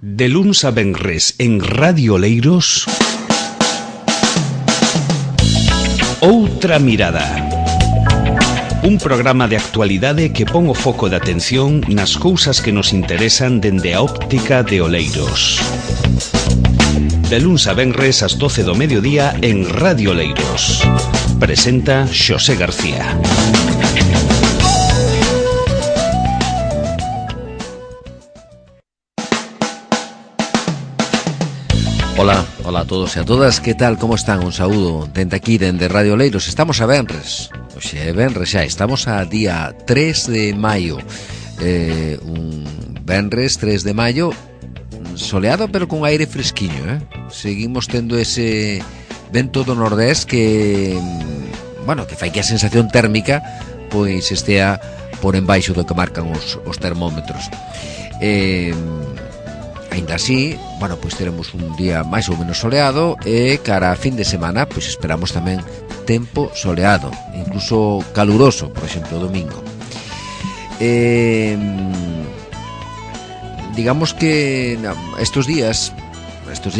De luns a venres en Radio Oleiros, Outra Mirada. Un programa de actualidade que pon o foco de atención nas cousas que nos interesan dende a óptica de Oleiros. De luns a venres ás 12 do mediodía en Radio Oleiros. Presenta Xosé García. Hola a todos e a todas, que tal, como están? Un saúdo dende aquí, dende Radio Oleiros. Estamos a venres, oxe, venres xa, estamos a día 3 de maio. Un venres 3 de maio, soleado pero con aire fresquiño, Seguimos tendo ese vento do nordés que, bueno, que fai que a sensación térmica pois estea por embaixo do que marcan os termómetros. Ainda así, bueno, pois teremos un día máis ou menos soleado e cara a fin de semana, pois esperamos tamén tempo soleado, incluso caluroso, por exemplo, o domingo. Digamos que estes días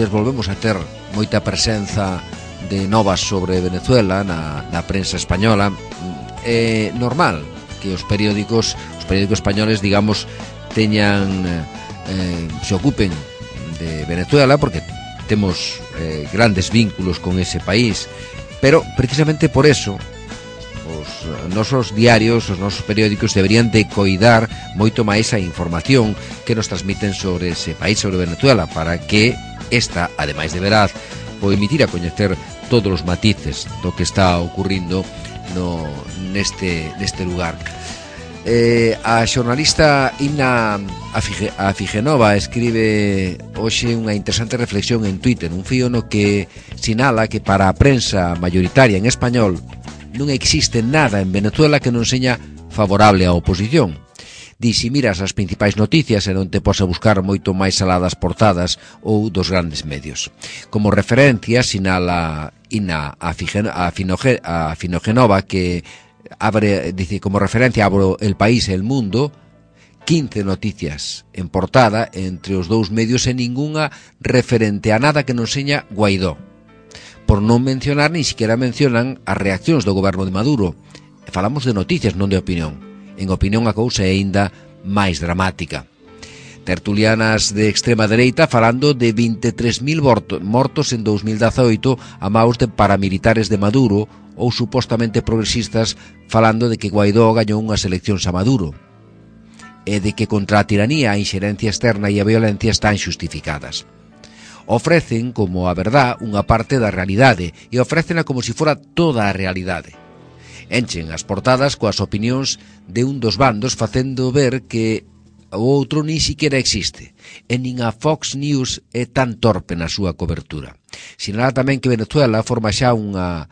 volvemos a ter moita presenza de novas sobre Venezuela na prensa española. É normal que os periódicos españoles, digamos, se ocupen de Venezuela porque temos grandes vínculos con ese país, pero precisamente por eso os nosos diarios, os nosos periódicos deberían de coidar moito máis a información que nos transmiten sobre ese país, sobre Venezuela, para que esta, ademais de veraz, o emitir a coñecer todos os matices do que está ocurrindo neste lugar. A xornalista Inna Afigenova escribe hoxe unha interesante reflexión en Twitter, un fío no que sinala que para a prensa mayoritaria en español non existe nada en Venezuela que non seña favorable á oposición. Di, si miras as principais noticias e non te posa buscar moito máis aladas portadas ou dos grandes medios. Como referencia sinala Inna Afigenova que dice, como referencia abro El País e El Mundo, 15 noticias en portada entre os dous medios e ningunha referente a nada que non seña Guaidó. Por non mencionar, ni siquiera mencionan as reaccións do goberno de Maduro. Falamos de noticias, non de opinión. En opinión a cousa é aínda máis dramática. Tertulianas de extrema dereita falando de 23.000 mortos en 2018 a maus de paramilitares de Maduro, ou supostamente progresistas falando de que Guaidó gañou unhas eleccións a Maduro e de que contra a tiranía, a inxerencia externa e a violencia están xustificadas. Ofrecen como a verdad unha parte da realidade e ofrecena como se fora toda a realidade. Enchen as portadas coas opinións de un dos bandos facendo ver que o outro ni siquiera existe e nin a Fox News é tan torpe na súa cobertura. Sinala tamén que Venezuela forma xa unha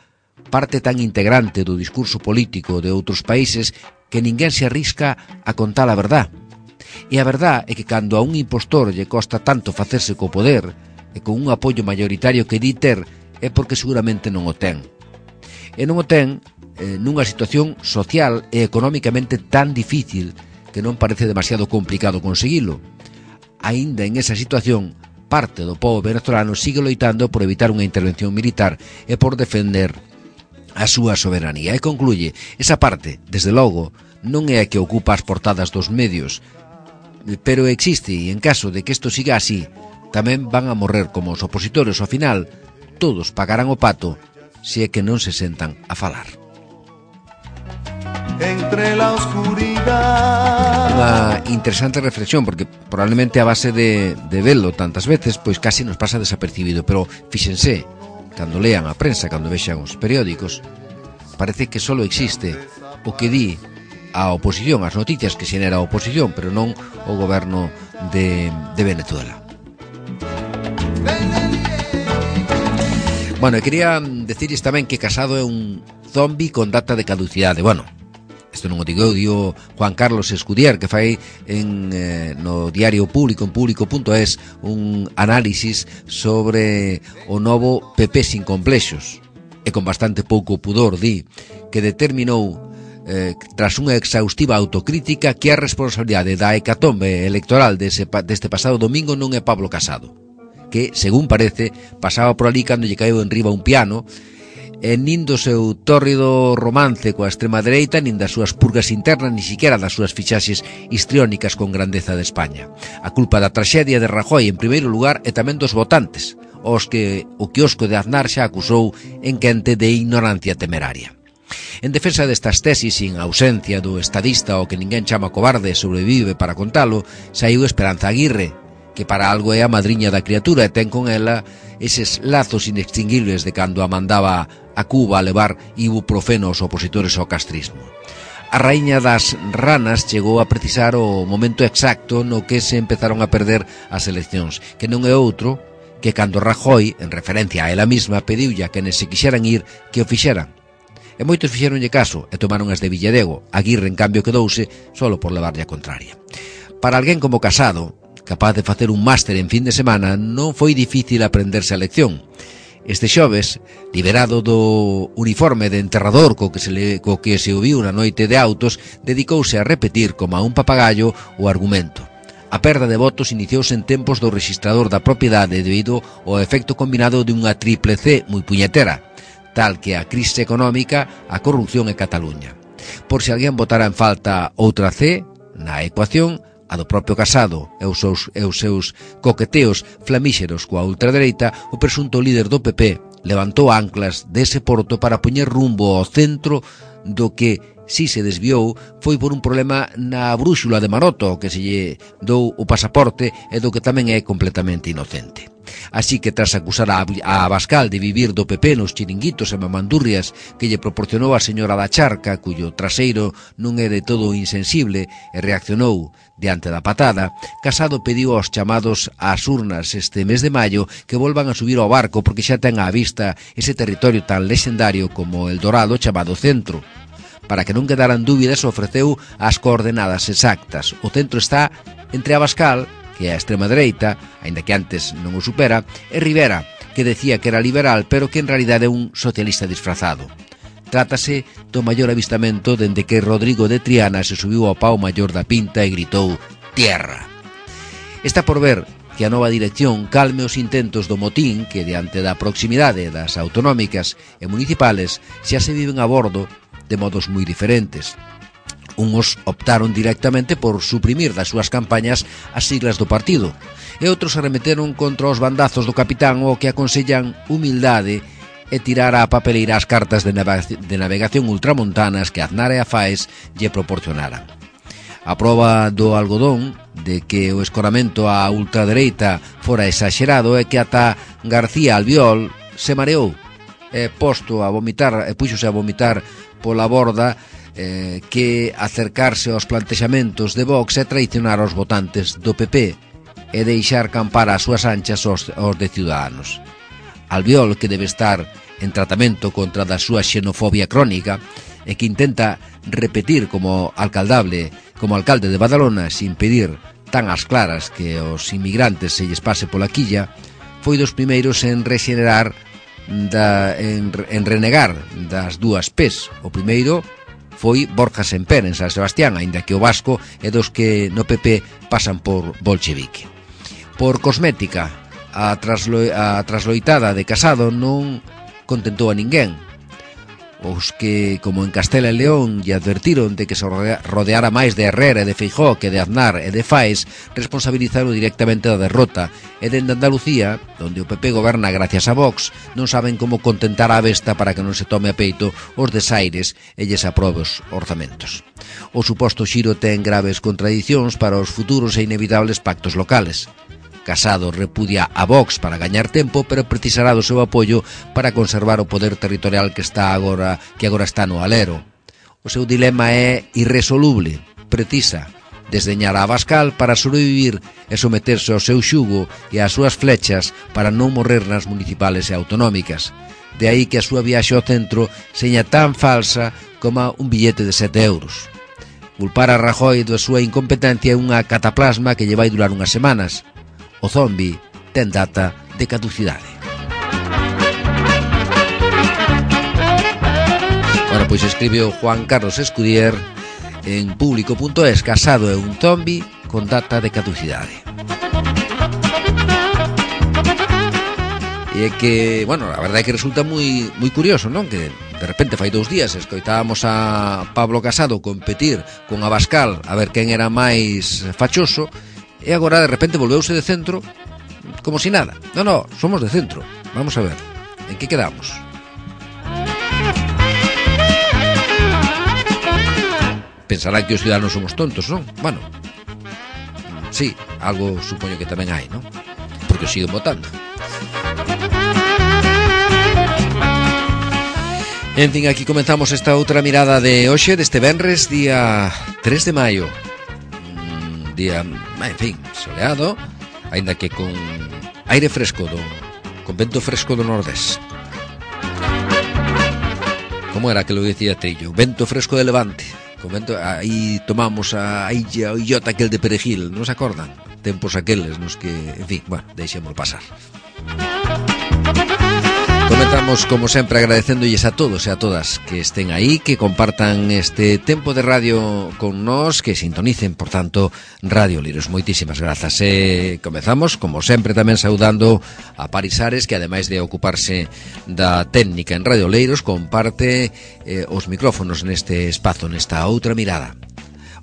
parte tan integrante do discurso político de outros países que ninguén se arrisca a contar a verdad. E a verdad é que cando a un impostor lle costa tanto facerse co poder e con un apoio mayoritario que di ter é porque seguramente non o ten. E non o ten nunha situación social e económicamente tan difícil que non parece demasiado complicado conseguilo. Aínda en esa situación, parte do pobo venezolano sigue loitando por evitar unha intervención militar e por defender a súa soberanía. E concluye, esa parte, desde logo, non é a que ocupa as portadas dos medios, pero existe, e en caso de que isto siga así, tamén van a morrer como os opositores. Ao final, todos pagarán o pato se é que non se sentan a falar. Entre la oscuridad. Unha interesante reflexión, porque probablemente a base de velo tantas veces, pois casi nos pasa desapercibido, pero fíxense, cando lean a prensa, cando vexan os periódicos, parece que só existe o que di a oposición, as noticias que xenera a oposición, pero non o goberno de Venezuela. Bueno, e quería decirles tamén que Casado é un zombi con data de caducidade. Bueno, isto non o digo eu, digo Juan Carlos Escudier, que fai no diario Público, en público.es, un análisis sobre o novo PP sin complexos, e con bastante pouco pudor di que determinou tras unha exhaustiva autocrítica, que a responsabilidade da hecatombe electoral deste pasado domingo non é Pablo Casado, que, según parece, pasaba por ali cando lle caeu enriba un piano, e nin do seu tórrido romance coa extrema dereita, nin das súas purgas internas, ni siquiera das súas fichaxes histriónicas con grandeza de España. A culpa da traxedia de Rajoy, en primeiro lugar, e tamén dos votantes, os que o quiosco de Aznar xa acusou en quente de ignorancia temeraria. En defensa destas tesis, sin ausencia do estadista o que ninguén chama cobarde sobrevive para contalo, saiu Esperanza Aguirre, que para algo é a madriña da criatura e ten con ela eses lazos inextinguibles de cando a mandaba a Cuba a levar ibuprofeno aos opositores ao castrismo. A raíña das ranas chegou a precisar o momento exacto no que se empezaron a perder as eleccións, que non é outro que cando Rajoy, en referencia a ela mesma, pediulle a quenes se quixeran ir que o fixeran. E moitos fixeronlle caso e tomaron as de Villadego. Aguirre, en cambio, quedouse solo por levarlle a contraria. Para alguén como Casado, capaz de facer un máster en fin de semana, non foi difícil aprenderse a lección. Este xoves, liberado do uniforme de enterrador co que se o viu na noite de autos, dedicouse a repetir como a un papagallo o argumento. A perda de votos iniciouse en tempos do rexistrador da propiedade debido ao efecto combinado de unha triple C moi puñetera, tal que a crise económica, a corrupción e Cataluña. Por se alguén botara en falta outra C na ecuación, a do propio Casado e os seus coqueteos flamíxeros coa ultradereita, o presunto líder do PP levantou anclas dese porto para poñer rumbo ao centro do que, si se desviou, foi por un problema na brúxula de Maroto, que se lle dou o pasaporte e do que tamén é completamente inocente. Así que, tras acusar a Abascal de vivir do PP nos chiringuitos e mamandurrias que lle proporcionou a señora da Charca, cuyo traseiro non é de todo insensible, e reaccionou diante da patada, Casado pediu aos chamados ás urnas este mes de maio que volvan a subir ao barco porque xa ten á vista ese territorio tan lexendario como el Dorado chamado Centro. Para que non quedaran dúbidas, ofreceu as coordenadas exactas. O centro está entre Abascal, que é a extrema dereita, aínda que antes non o supera, e Rivera, que decía que era liberal, pero que en realidade é un socialista disfrazado. Trátase do maior avistamento dende que Rodrigo de Triana se subiu ao pau maior da Pinta e gritou «Tierra». Está por ver que a nova dirección calme os intentos do motín que, diante da proximidade das autonómicas e municipales, xa se viven a bordo de modos moi diferentes. Uns optaron directamente por suprimir das súas campañas as siglas do partido e outros arremeteron contra os bandazos do capitán o que aconsellan humildade e tirar á papeleira as cartas de navegación ultramontanas que Aznar e a Faes lle proporcionaran. A proba do algodón de que o escoramento á ultradereita fora exagerado é que ata García Albiol se mareou e puxose a vomitar pola borda que acercarse aos plantexamentos de Vox é traicionar aos votantes do PP e deixar campar as súas anchas aos de Ciudadanos. Albiol, que debe estar en tratamento contra da súa xenofobia crónica e que intenta repetir como alcalde de Badalona sin pedir tan as claras que os inmigrantes se lles pase pola quilla, foi dos primeiros en renegar das dúas P's. O primeiro foi Borja Semper en San Sebastián, aínda que o vasco é dos que no PP pasan por bolchevique. Por cosmética, a trasloitada de Casado non contentou a ninguén. Os que, como en Castela e León, lle advertiron de que se rodeara máis de Herrera e de Feijóo que de Aznar e de Faes, responsabilizaron directamente da derrota, e dende Andalucía, onde o PP goberna gracias a Vox, non saben como contentar a besta para que non se tome a peito os desaires e lles aprobe os orzamentos. O suposto xiro ten graves contradicións para os futuros e inevitables pactos locales. Casado repudia a Vox para gañar tempo, pero precisará do seu apoio para conservar o poder territorial que agora está no alero. O seu dilema é irresoluble. Precisa desdeñar a Abascal para sobrevivir e someterse ao seu xugo e ás súas flechas para non morrer nas municipales e autonómicas. De aí que a súa viaxe ao centro seña tan falsa como un billete de 7 euros. Culpar a Rajoy da súa incompetencia é unha cataplasma que lle vai durar unhas semanas. O zombi ten data de caducidade. Bueno, pois escribe o Juan Carlos Escudier en público.es: Casado é un zombi con data de caducidade. E é que, bueno, a verdade é que resulta moi curioso, non? Que de repente fai 2 días escoitábamos a Pablo Casado competir con Abascal a ver quen era máis fachoso, e agora de repente volveuse de centro como si nada. No, somos de centro. Vamos a ver, en que quedamos? Pensarán que os ciudadanos somos tontos, non? Bueno, sí, algo supoño que tamén hai, non? Porque os siguen votando. En fin, aquí comenzamos esta outra mirada de hoxe, deste venres, día 3 de maio. Día, en fin, soleado, aínda que con aire fresco, con vento fresco do nordés. Como era que lo decía Trillo? Vento fresco de levante. Con vento, aí tomamos a illota aquel de Perejil, non se acordan? Tempos aqueles nos que, en fin, bueno, deixémoslo pasar. Comenzamos, como sempre, agradecéndolles a todos e a todas que estén aí, que compartan este tempo de radio con nós, que sintonicen, por tanto, Radio Liros. Moitísimas grazas. Comezamos, como sempre, tamén saudando a Paris Ares, que ademais de ocuparse da técnica en Radio Leiros, comparte os micrófonos neste espazo, nesta outra mirada.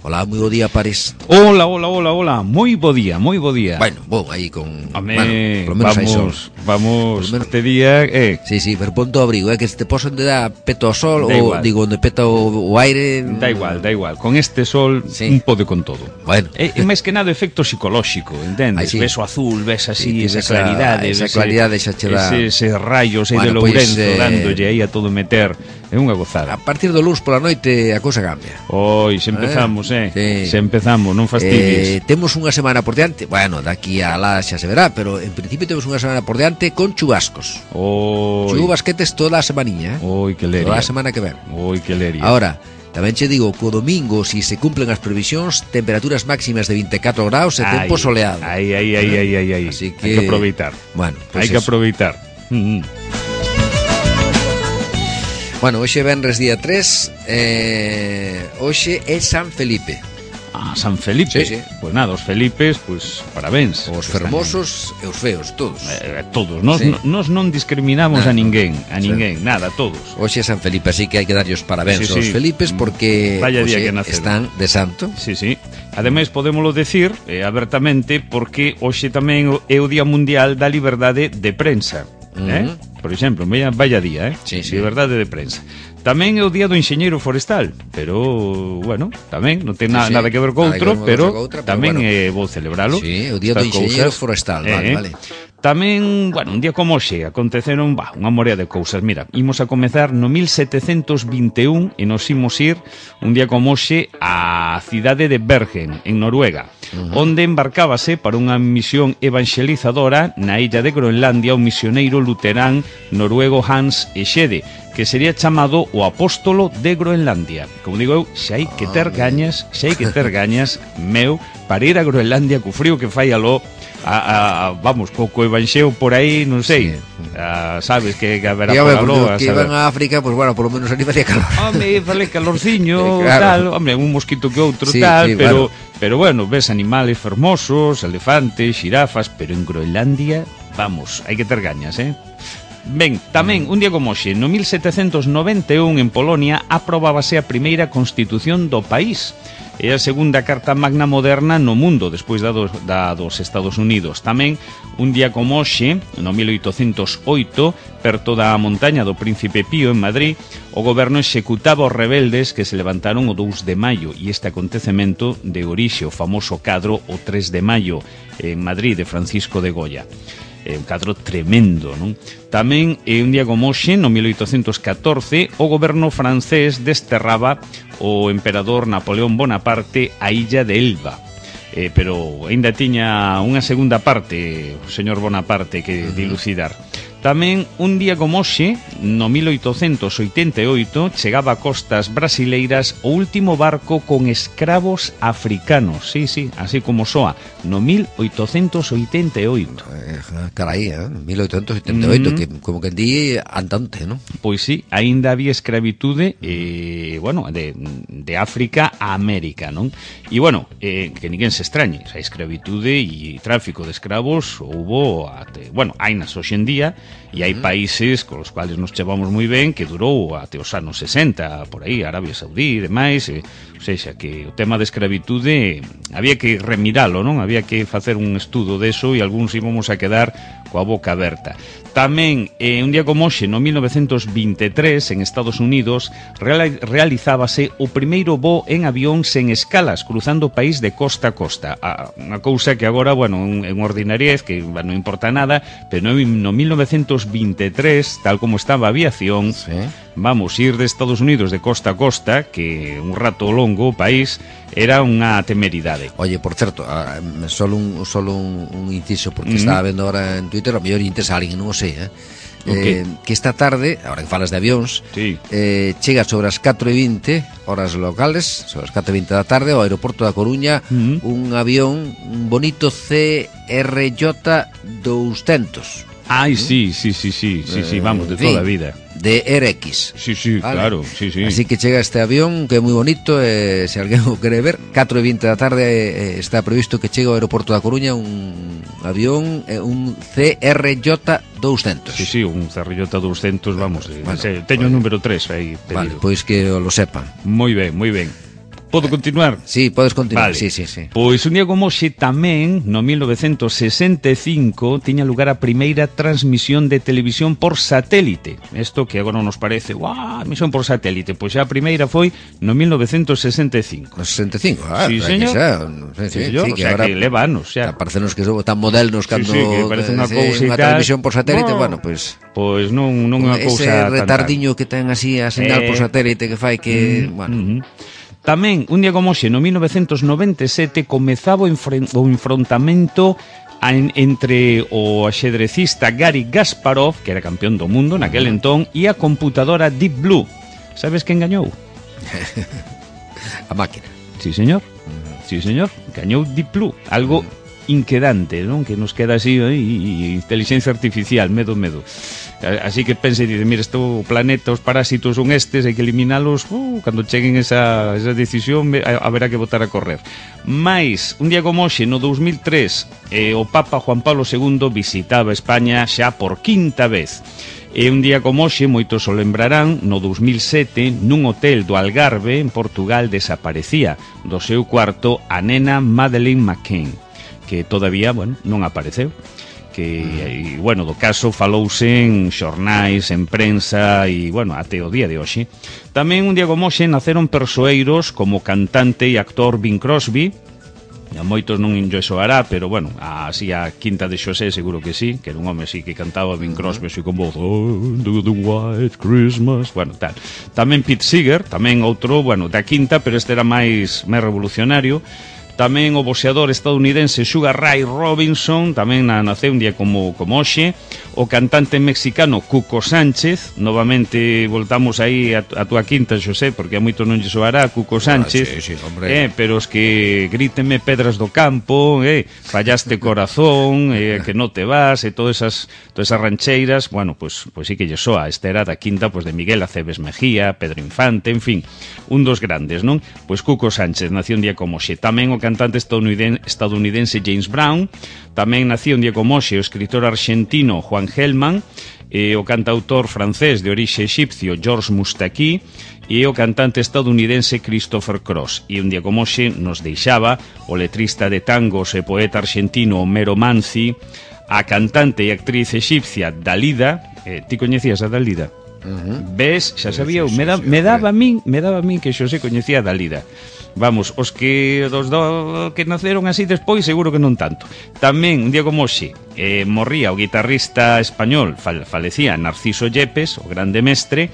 Hola, moi bo día, Paris. Hola, moi bo día. Bueno, aí con... Bueno, por lo menos vamos, este día... Sí, pero ponto abrigo, que se te poso onde dá peto ao sol, ou digo, onde peta o aire... Da igual, con este sol un pode con todo. Bueno. É máis que nada efecto psicolóxico, entendes? Sí. Ves o azul, ves así, esa claridade, esa claridade xa che dá... Ese rayos aí de Lourenço, dándolle aí a todo meter... É unha gozada. A partir do luns pola noite a cousa cambia. Se empezamos, sí. Se empezamos, non fastidies. Temos unha semana por diante. Bueno, daqui a lá xa se verá, pero en principio temos unha semana por diante con chubascos. Chubasquetes toda a semaniña, que leria. Toda a semana que ven. Que leria. Ahora, tamén che digo, co domingo, si se cumplen as previsións, temperaturas máximas de 24 graus e tempo soleado. Así que... Hai que aproveitar. Bueno, pues hai que aproveitar. Bueno, hoxe venres día 3, hoxe é San Felipe. San Felipe? Sí. Pues nada, os Felipes, pues parabéns. Os fermosos e os feos, todos. Todos, nos non discriminamos a ninguén, nada, todos. Hoxe é San Felipe, así que hai que darlle os parabéns aos Felipes, porque hoxe están de santo. Sí. Ademais, podémolo decir abertamente, porque hoxe tamén é o Día Mundial da Liberdade de Prensa. Por exemplo, vaya día, Sí. Liberdade de prensa. Tamén é o día do enxeñeiro forestal, pero, bueno, tamén non ten nada que ver co outro, pero tamén é bo celebralo. Sí, o día do enxeñeiro forestal, vale. Tamén, bueno, un día como hoxe aconteceron unha morea de cousas. Mira, imos a comezar no 1721 e nos imos ir un día como hoxe á cidade de Bergen, en Noruega, onde embarcábase para unha misión evangelizadora na illa de Groenlandia o misioneiro luterán noruego Hans Egede, que sería chamado o apóstolo de Groenlandia. Como digo eu, xa hai que ter gañas, meu, para ir a Groenlandia co frío que fai aló, vamos, co evanxeo por aí, non sei, sabes que haberá por aló. Que iban a África, pues bueno, por lo menos ali facía calor. Fale calorciño, tal, un mosquito que outro, tal, pero bueno, ves animales fermosos, elefantes, xirafas, pero en Groenlandia, vamos, hai que ter gañas, Ben, tamén, un día como hoxe, no 1791 en Polonia aprobábase a primeira constitución do país. É a segunda carta magna moderna no mundo, despois da dos Estados Unidos. Tamén, un día como hoxe, no 1808, perto da montaña do Príncipe Pío, en Madrid, o goberno executaba os rebeldes que se levantaron o 2 de maio, e este acontecemento de orixe o famoso cadro o 3 de maio, en Madrid, de Francisco de Goya. Un cadro tremendo, non? Tamén, un día como hoxe, no 1814, o goberno francés desterraba o emperador Napoleón Bonaparte a illa de Elba. Pero aínda tiña unha segunda parte, o señor Bonaparte, que dilucidar. Tamén un día como hoxe, no 1888, chegaba a costas brasileiras o último barco con escravos africanos. Sí, así como soa, no 1888. Carai, 1888, que como que di andante, non? Pois sí, aínda había escravitude, bueno, de África a América, non? E, bueno, que ninguén se extrañe, a escravitude e tráfico de escravos houbo, bueno, hainas hoxe en día, e hai países con os cuales nos chevamos moi ben que durou até os anos 60, por aí, Arabia Saudí e demais, ou seja, que o tema de escravitude había que remiralo, non? Había que facer un estudo deso e algúns íbamos a quedar coa boca aberta. Tamén, un día como hoxe, no 1923, en Estados Unidos, realizábase o primeiro voo en avión sen escalas, cruzando o país de costa a costa. Unha cousa que agora, bueno, é unha ordinariez, que non importa nada, pero no 1923, tal como estaba a aviación, sí, vamos, ir de Estados Unidos de costa a costa, que un rato longo o país, era unha temeridade. Oye, por certo, solo un inciso, porque estaba vendo ahora en Twitter, a mellor interesa a alguén, non o sei, que esta tarde, ahora que falas de avións, sí, chega sobre as 4:20 horas locales, sobre as 4:20 da tarde, ao aeroporto da Coruña, un avión, un bonito CRJ 200. Ai, sí, vamos, de toda a vida. De RX. Sí, vale, claro, sí. Así que chega este avión, que é moi bonito, se alguén o quere ver, 4:20 da tarde está previsto que chegue ao aeroporto da Coruña un avión, un CRJ 200. Sí, un CRJ 200, vamos, teño o número 3 aí pedido. Vale, pois que lo sepan. Moi ben. Podo continuar? Sí, podes continuar, vale. Sí. Pois un día como hoxe tamén, no 1965, tiña lugar a primeira transmisión de televisión por satélite. Isto que agora nos parece, misión por satélite, pois xa a primeira foi no 1965. No 65, sí, señor. Sí, o sea, que leva anos, xa. Parecenos que somos tan modernos cando que parece unha cousa unha televisión por satélite, bueno, pois non é unha cousa ese retardiño que ten así a señal por satélite que fai que, bueno. Tamén, un día como hoxe, no 1997, comezaba o enfrontamento entre o axedrecista Gary Kasparov, que era campeón do mundo naquel entón, e a computadora Deep Blue. Sabes quen gañou? A máquina. Sí, señor. Gañou Deep Blue. Algo inquedante, non? Que nos queda así, inteligencia artificial, medo. Así que pense e dice, mira, o planeta, os parásitos son estes, hai que eliminalos, cando cheguen esa decisión haberá que botar a correr. Mais, un día como hoxe, no 2003, o Papa Juan Pablo II visitaba España xa por quinta vez. E un día como hoxe, moitos o lembrarán, no 2007, nun hotel do Algarve, en Portugal, desaparecía do seu cuarto a nena Madeleine McCann, que todavía, non apareceu. Que, do caso falouse en xornais, en prensa e, até o día de hoxe. Tamén un día como hoxe naceron persoeiros como cantante e actor Bing Crosby. A moitos non enlle soará, pero, así a Quinta de Xosé seguro que sí, que era un home así que cantaba Bing Crosby así con voz do the White Christmas, tal. Tamén Pete Seeger, tamén outro, da Quinta, pero este era máis revolucionario. Tamén o boxeador estadounidense Sugar Ray Robinson, tamén naceu un día como hoxe. O cantante mexicano Cuco Sánchez, novamente voltamos aí a túa quinta, Xosé, porque a moito non lle soará Cuco Sánchez, sí, hombre. Pero os que gríteme pedras do campo, fallaste corazón, que non te vas, todas esas rancheiras, pues sí que lle soa. Esta era da quinta de Miguel Aceves Mejía, Pedro Infante, en fin, un dos grandes, non? Pois Cuco Sánchez nació un día como hoxe. Tamén o cantante estadounidense James Brown, tamén nació un día como hoxe o escritor argentino Juan Gelman, o cantautor francés de orixe exipcio Georges Moustaki e o cantante estadounidense Christopher Cross. E un día como hoxe nos deixaba o letrista de tangos e poeta argentino Homero Manzi, a cantante e actriz exipcia Dalida. Ti coñecías a Dalida? Ves, xa sabía, me daba a min que Xosé coñecía a Dalida. Vamos, os que que naceron así despois seguro que non tanto. Tamén, un día como hoxe, morría o guitarrista español, falecía Narciso Yepes, o grande mestre,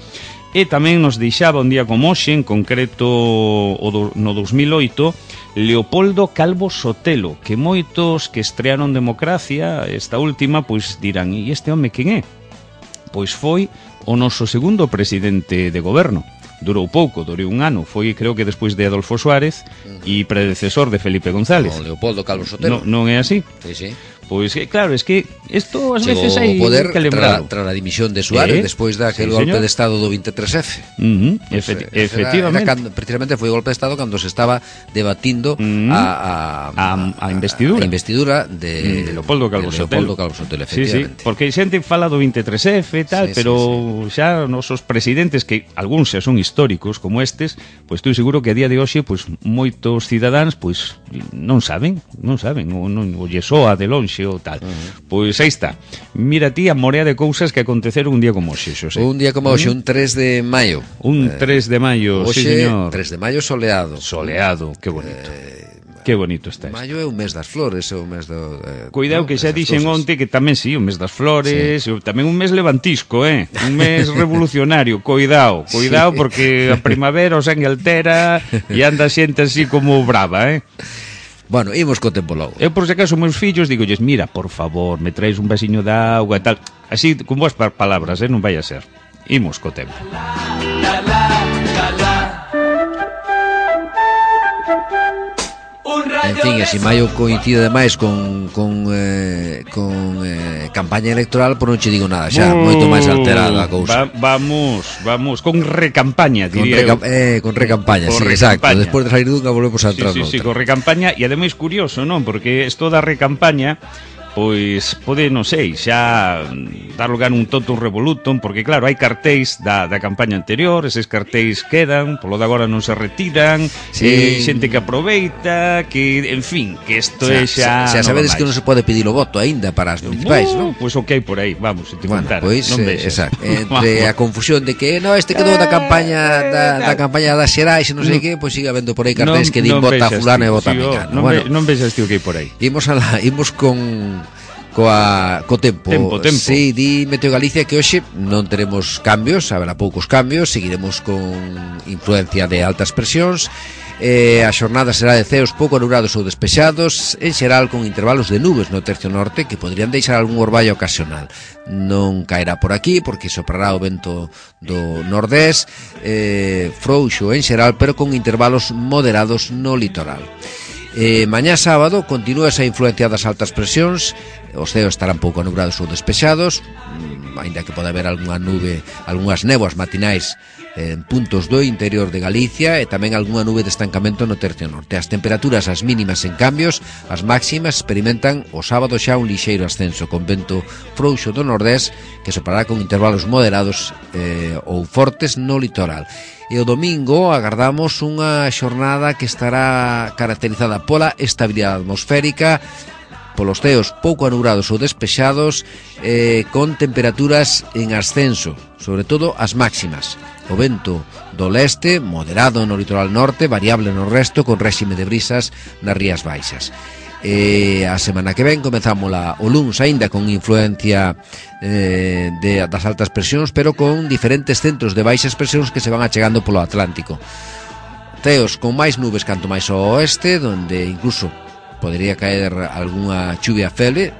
e tamén nos deixaba un día como hoxe, en concreto no 2008, Leopoldo Calvo Sotelo, que moitos que estrearon Democracia, esta última, pois dirán, e este home quen é? pois foi o noso segundo presidente de goberno. Durou pouco, durou un ano, foi creo que despois de Adolfo Suárez e predecesor de Felipe González. Con Leopoldo Calvo Sotelo. Non é así? Sí, sí. Pois claro, es que isto ás Chegou veces hai o poder que lembrar. tras a dimisión de Suárez despois daquele golpe de estado do 23F. Efectivamente. Precisamente foi o golpe de estado cando se estaba debatindo a investidura de Leopoldo Calvo Sotelo, efectivamente. Sí, porque xente fala do 23F e tal, pero xa nosos presidentes, que algúns xa son históricos como estes, pois estou seguro que a día de hoxe pois moitos cidadáns pois non saben, ou lle soa de lonxe ou tal. Pois aí está. Mira ti a morea de cousas que aconteceron un día como hoxe, Xosé. Un día como hoxe, un 3 de maio. Un 3 de maio, sí, señor. 3 de maio soleado. Soleado, que bonito. Que bonito está isto. Maio é o mes das flores, é o mes do... Cuidado que xa dixen onte que tamén sí, o mes das flores, tamén un mes levantisco, un mes revolucionario, cuidado, porque a primavera o sangue altera e anda xente así como brava, Bueno, imos co tempo logo. Eu, por se acaso, meus fillos, digolles, mira, por favor, me traes un vasiño de auga e tal. Así, con boas palabras, non vai a ser. Imos co tempo. En fin, e se maio coincide demais con campaña electoral, por non che digo nada, xa, moito máis alterada a cousa. Vamos, con recampaña, diría con recampaña, sí, exacto. Despois de sair dunha volvemos a entrar noutra. Sí, con recampaña, e ademais curioso, non? Porque isto da recampaña pois pode, non sei, xa dar lugar un totum revolutum, porque claro, hai cartéis da campaña anterior, eses cartéis quedan, polo de agora non se retiran, xente que aproveita, que, en fin, que isto é xa... Xa sabedes que non se pode pedir o voto aínda para as municipais, non? Pois o que hai por aí, vamos, se te contara. Pois, exacto, entre a confusión de que este quedou da campaña das xerais e non sei que, pois sigue habendo por aí cartéis que din vota fulano e vota mecano. Non vexas tío que hai por aí. Imos co tempo. Sí, di Meteo Galicia que hoxe non teremos cambios, haberá poucos cambios, seguiremos con influencia de altas presións. A xornada será de ceos pouco nubrados ou despexados, en xeral con intervalos de nubes no tercio norte que poderían deixar algún orballo ocasional. Non caerá por aquí porque soprará o vento do nordés, frouxo en xeral, pero con intervalos moderados no litoral. Mañá sábado continúa esa influencia das altas presións, os ceos estarán pouco nubrados ou despexados, aínda que pode haber algunha nube, algunhas néboas matinais en puntos do interior de Galicia e tamén algunha nube de estancamento no tercio norte. As temperaturas, as mínimas en cambios, as máximas experimentan o sábado xa un lixeiro ascenso con vento frouxo do nordés que soprará con intervalos moderados ou fortes no litoral. E o domingo agardamos unha xornada que estará caracterizada pola estabilidade atmosférica, polos ceos pouco anubrados ou despexados, con temperaturas en ascenso, sobre todo as máximas. O vento do leste, moderado no litoral norte, variable no resto, con réxime de brisas nas rías baixas. A semana que ven comezámola o luns aínda con influencia das altas presións, pero con diferentes centros de baixas presións que se van achegando polo Atlántico. Ceos con máis nubes canto máis ao oeste, donde incluso podería caer algunha chuvia fele,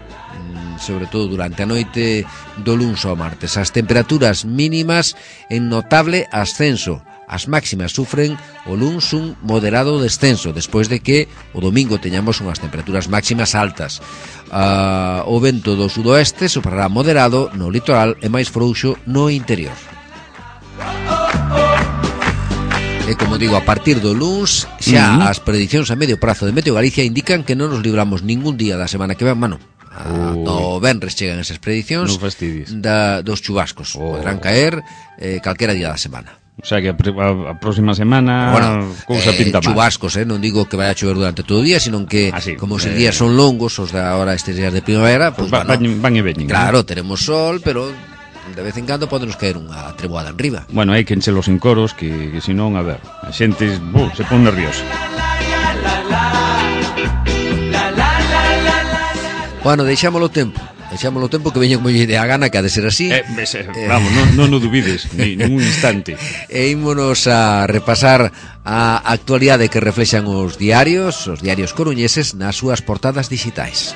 sobre todo durante a noite do luns ao martes. As temperaturas mínimas en notable ascenso. As máximas sufren o luns un moderado descenso, despois de que o domingo teñamos unhas temperaturas máximas altas. O vento do sudoeste soprará moderado no litoral e máis frouxo no interior. E como digo, a partir do luns xa as predicións a medio prazo de Meteo Galicia indican que non nos libramos ningún día da semana que ven, do venres chegan esas predicións dos chubascos. Poderán caer calquera día da semana. O sea que a próxima semana cousa pinta mal. Chubascos, non digo que vai a chover durante todo o día, sino que como os días son longos, os de ahora estes días de primavera, pues van e veñen. Claro, teremos sol, pero de vez en cando podenos caer unha treboada en riba. Bueno, hai que enchelos en coros, que senón, a ver, a xente se pon nerviosa. Bueno, deixámolo tempo que veña como lle a gana, que ha de ser así. Vamos, non o dubides ningún instante. E ímonos a repasar a actualidade que reflexan os diarios coruñeses nas súas portadas digitais.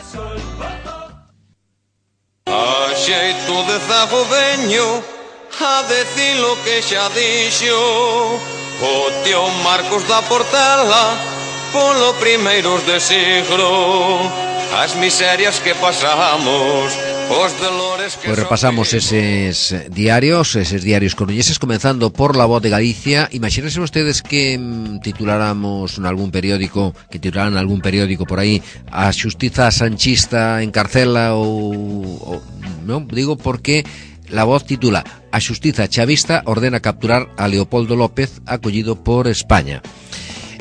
xeito de zago veño a decir lo que xa dixo o tío Marcos da Portela polo primeiros de siglo. As miserias que pasamos, os dolores que Pues repasamos eses diarios coruñeses, comenzando por La Voz de Galicia. Imagínense ustedes que titularan algún periódico por aí a xustiza sanchista encarcela ou non, digo porque La Voz titula A xustiza chavista ordena capturar a Leopoldo López acollido por España.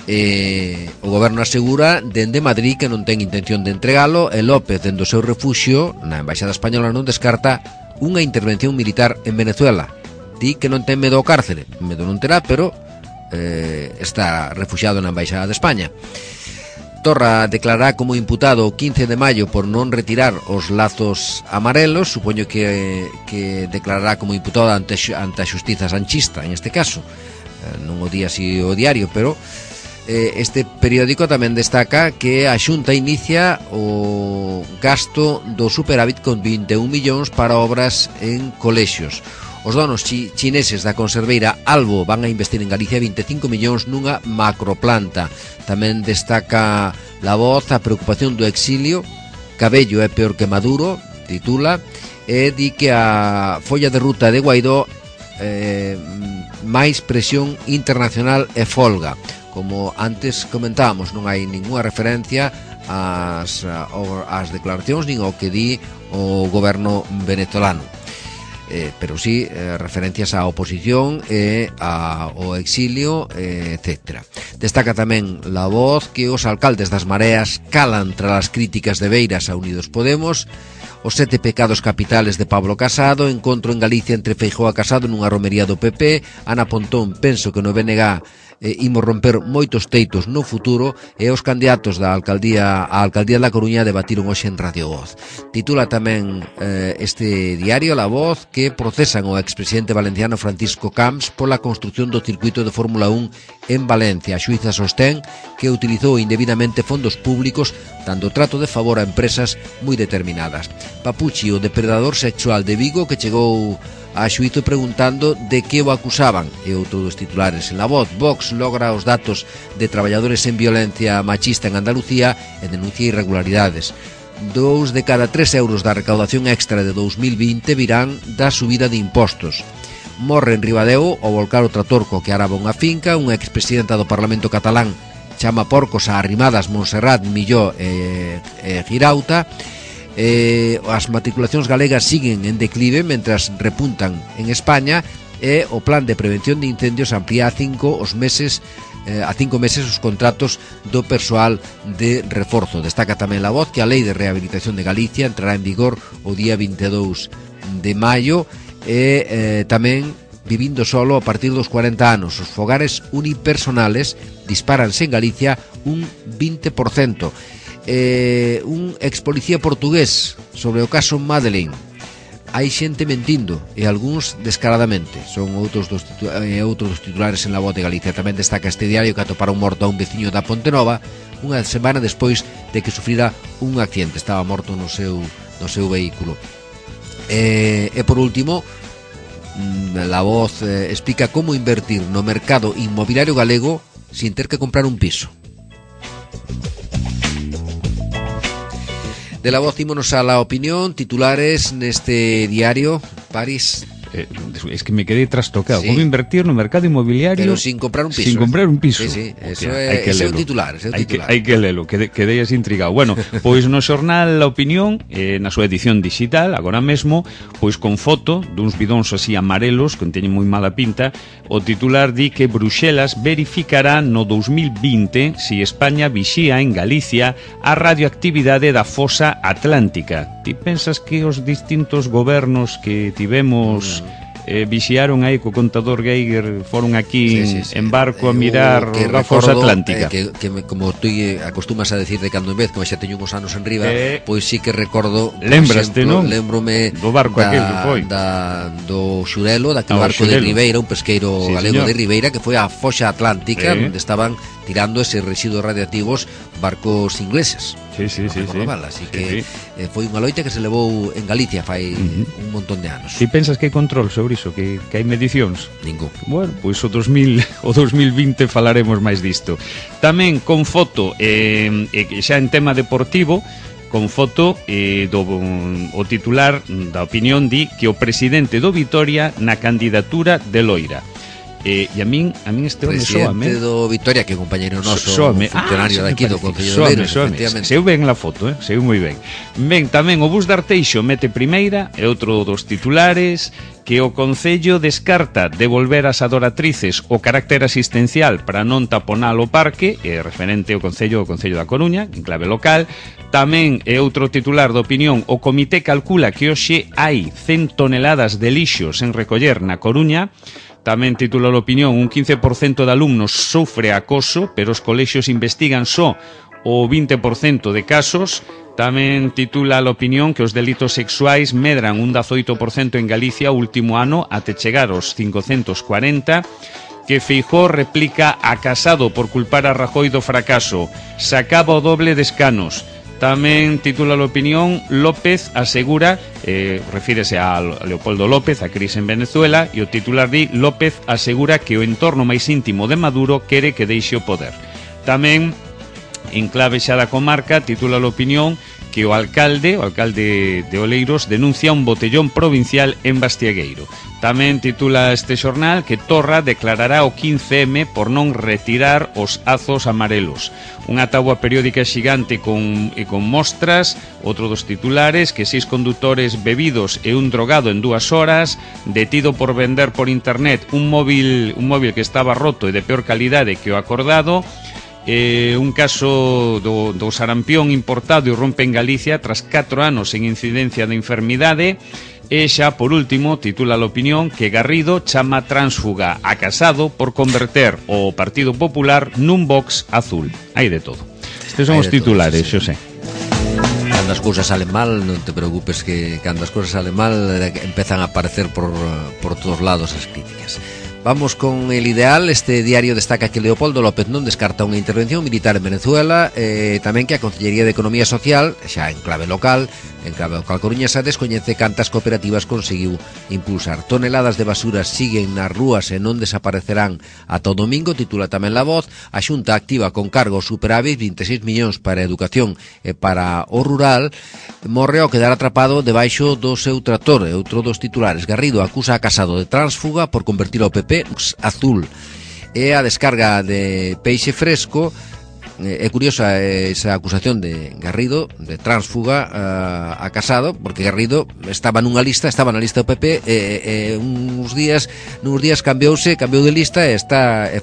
O goberno asegura dende Madrid que non ten intención de entregalo e López dende o seu refuxio na Embaixada Española non descarta unha intervención militar en Venezuela. Di que non ten medo ao cárcere, medo non terá, pero está refuxiado na Embaixada de España. Torra declarará como imputado o 15 de maio por non retirar os lazos amarelos. Supoño que declarará como imputado ante a xustiza sanchista, en este caso. Non o di así o diario, pero este periódico tamén destaca que a Xunta inicia o gasto do superávit con 21 millóns para obras en colexios. Os donos chineses da conserveira Albo van a investir en Galicia 25 millóns nunha macroplanta. Tamén destaca La Voz a preocupación do exilio. Cabello é peor que Maduro, titula, e di que a folla de ruta de Guaidó máis presión internacional e folga. Como antes comentábamos, non hai ninguna referencia ás declaracións nin ao que di o goberno venezolano, pero sí referencias á oposición e ao exilio, etc. Destaca tamén La Voz que os alcaldes das Mareas calan tras as críticas de Beiras a Unidos Podemos. Os 7 pecados capitales de Pablo Casado, encontro en Galicia entre Feijóo a Casado nunha romería do PP. Ana Pontón, penso que no BNG imos romper moitos teitos no futuro, e os candidatos á alcaldía da Coruña debatiron hoxe en Radio Voz. Titula tamén este diario La Voz que procesan o expresidente valenciano Francisco Camps pola construción do circuito de Fórmula 1 en Valencia. A xuíza sostén que utilizou indebidamente fondos públicos dando trato de favor a empresas moi determinadas. Papuchi, o depredador sexual de Vigo, que chegou a xuízo preguntando de que o acusaban, e outro dos titulares en La Voz. Vox logra os datos de traballadores en violencia machista en Andalucía e denuncia irregularidades. 2 de cada 3 euros da recaudación extra de 2020 virán da subida de impostos. Morre en Ribadeo ao volcar o trator co que araba unha finca. Unha expresidenta do Parlamento catalán chama porcos a Arrimadas, Montserrat, Milló e Girauta. As matriculacións galegas siguen en declive mentras repuntan en España, e o plan de prevención de incendios amplía a 5 meses os contratos do persoal de reforzo. Destaca tamén La Voz que a Lei de Rehabilitación de Galicia entrará en vigor o día 22 de maio, e tamén vivindo solo a partir dos 40 anos. Os fogares unipersonales disparanse en Galicia un 20%. Un expolicía portugués sobre o caso Madeleine. Hai xente mentindo e algúns descaradamente. Son outros dos titulares en La Voz de Galicia. Tamén destaca este diario que atoparon morto a un veciño da Pontenova unha semana despois de que sufrira un accidente. Estaba morto no seu vehículo. E por último, La Voz explica como invertir no mercado inmobiliario galego sin ter que comprar un piso. De La Voz ímonos a La Opinión, titulares neste diario, París. Es que me quedé trastocado. Sí. ¿Cómo invertir no mercado inmobiliario pero sin comprar un piso? Sin comprar un piso. Sí, eso é un titular. Hai que lelo, quedei así intrigado. Bueno, pois no xornal La Opinión, na súa edición digital, agora mesmo, pois con foto duns bidóns así amarelos, que teñen moi mala pinta, o titular di que Bruxelas verificará no 2020 si España vixía en Galicia a radioactividade da fosa atlántica. Ti pensas que os distintos gobernos que tivemos vixiaron aí co contador Geiger, foron aquí en barco a mirar a fosa atlántica? Como tú acostumas a decir de cando en vez, como xa teño uns anos en riba, pois sí que recordo, lembraste, non? Lembrome do barco aquel que foi do Xurelo, daquele barco de Ribeira, un pesqueiro galego de Ribeira, que foi a fosa atlántica, onde estaban tirando eses residuos radiactivos barcos ingleses. así que foi unha loita que se levou en Galicia fai un montón de anos. E pensas que hai control sobre iso, que hai medicións? Ningún. Bueno, pois o 2020 falaremos máis disto. Tamén con foto, xa en tema deportivo, con foto o titular da opinión di que o presidente do Vitoria na candidatura de Loira. E a min este home soame. Presidente do Vitoria, que é compañeiro noso, funcionario daqui do Concello de Oleiros, efectivamente. Seu ben la foto, seu moi ben. Ben, tamén o Bus de Arteixo mete primeira, e outro dos titulares, que o Concello descarta devolver ás adoratrices o carácter asistencial para non taponar o parque, referente ao Concello da Coruña, en clave local. Tamén é outro titular de opinión, o comité calcula que hoxe hai 100 toneladas de lixos en recoller na Coruña. Tamén titula a opinión, un 15% de alumnos sofre acoso, pero os colexios investigan só o 20% de casos. Tamén titula a opinión que os delitos sexuais medran un 18% en Galicia o último ano até chegar aos 540, que Feijóo replica a Casado por culpar a Rajoy do fracaso, se acaba o doble de escanos. Tamén titula a opinión, López asegura, refírese a Leopoldo López, a crise en Venezuela, e o titular di, López asegura que o entorno máis íntimo de Maduro quere que deixe o poder. Tamén, en clave xa da comarca, titula a opinión que o alcalde de Oleiros denuncia un botellón provincial en Bastiagueiro. Tamén titula este xornal que Torra declarará o 15M por non retirar os azos amarelos. Unha táboa periódica xigante con mostras. Outro dos titulares, que 6 condutores bebidos e un drogado en 2 horas, detido por vender por internet un móvil que estaba roto e de peor calidade que o acordado. Un caso do sarampión importado e rompe en Galicia tras 4 anos en incidencia de enfermidade. E xa, por último, titula a opinión que Garrido chama tránsfuga a Casado por converter o Partido Popular nun Vox azul. Hai de todo. Estes son os titulares, Xosé. Cando as cousas salen mal, non te preocupes, que cando as cousas salen mal empezan a aparecer por todos lados as críticas. Vamos con el ideal. Este diario destaca que Leopoldo López non descarta unha intervención militar en Venezuela, tamén que a Consellería de Economía Social, xa en clave local coruñesa, descoñece cantas cooperativas conseguiu impulsar. Toneladas de basuras siguen nas rúas e non desaparecerán ata o domingo, titula tamén La Voz. A Xunta activa con cargo superávit 26 millóns para a educación e para o rural. Morre ao quedar atrapado debaixo do seu trator. E outro dos titulares, Garrido acusa a Casado de tránsfuga por convertir o PP azul. E a descarga de peixe fresco. É curiosa esa acusación de Garrido de tránsfuga a Casado, porque Garrido estaba na lista do PP e nuns días cambiou de lista e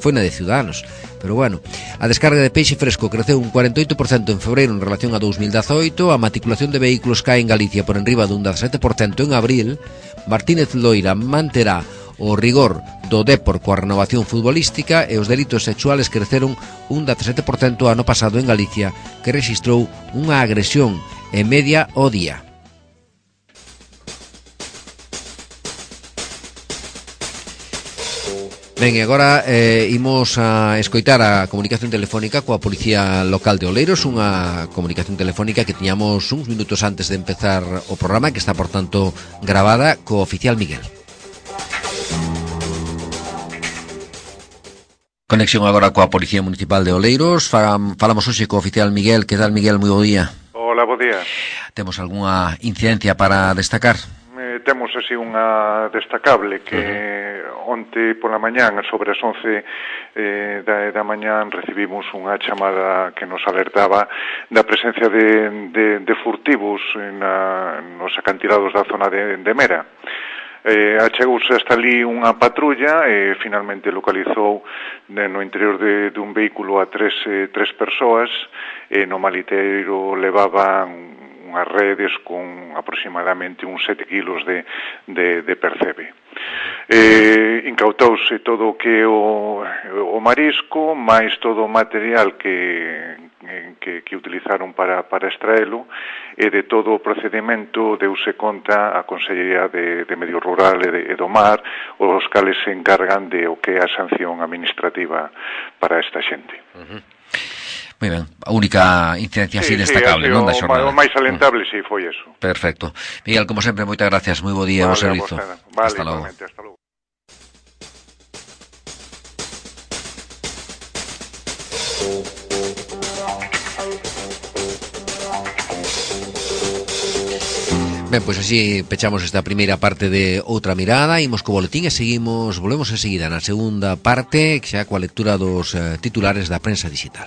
foi na de Ciudadanos. Pero bueno, a descarga de peixe fresco creceu un 48% en febreiro en relación a 2018, a matriculación de vehículos cae en Galicia por enriba dun 17% en abril. Martínez Loira manterá o rigor do Dépor coa renovación futbolística e os delitos sexuales creceron un 17% ano pasado en Galicia, que rexistrou unha agresión en media ao día. Ben, e agora imos a escoitar a comunicación telefónica coa Policía Local de Oleiros, unha comunicación telefónica que tiñamos uns minutos antes de empezar o programa, que está, por tanto, gravada co oficial Miguel. Conexión agora coa Policía Municipal de Oleiros. Falamos hoxe co oficial Miguel. Que tal, Miguel? Moi bo día. Hola, bo día. Temos algunha incidencia para destacar? Temos así unha destacable que onte pola mañán, sobre as 11 da mañán, recibimos unha chamada que nos alertaba da presencia de furtivos nos acantilados da zona de Mera. Achegouse hasta ali unha patrulla e finalmente localizou no interior dun vehículo a tres persoas e no maliteiro levaban unhas redes con aproximadamente uns 7 kilos de percebe. Incautouse todo o que o marisco, máis todo o material que utilizaron para extraelo, e de todo o procedimento deuse conta a Consellería de Medio Rural e do Mar, os cales se encargan de o que é a sanción administrativa para esta xente. Moi ben, a única incidencia así destacable, non, da xornada. O máis alentable, si, foi eso. Perfecto. Miguel, como sempre, moitas gracias, moi bo día, bo servizo. Vale, hasta logo. Hasta logo. Ben, pois así pechamos esta primeira parte de Outra Mirada, imos co boletín e volvemos enseguida na segunda parte, xa coa lectura dos titulares da prensa digital.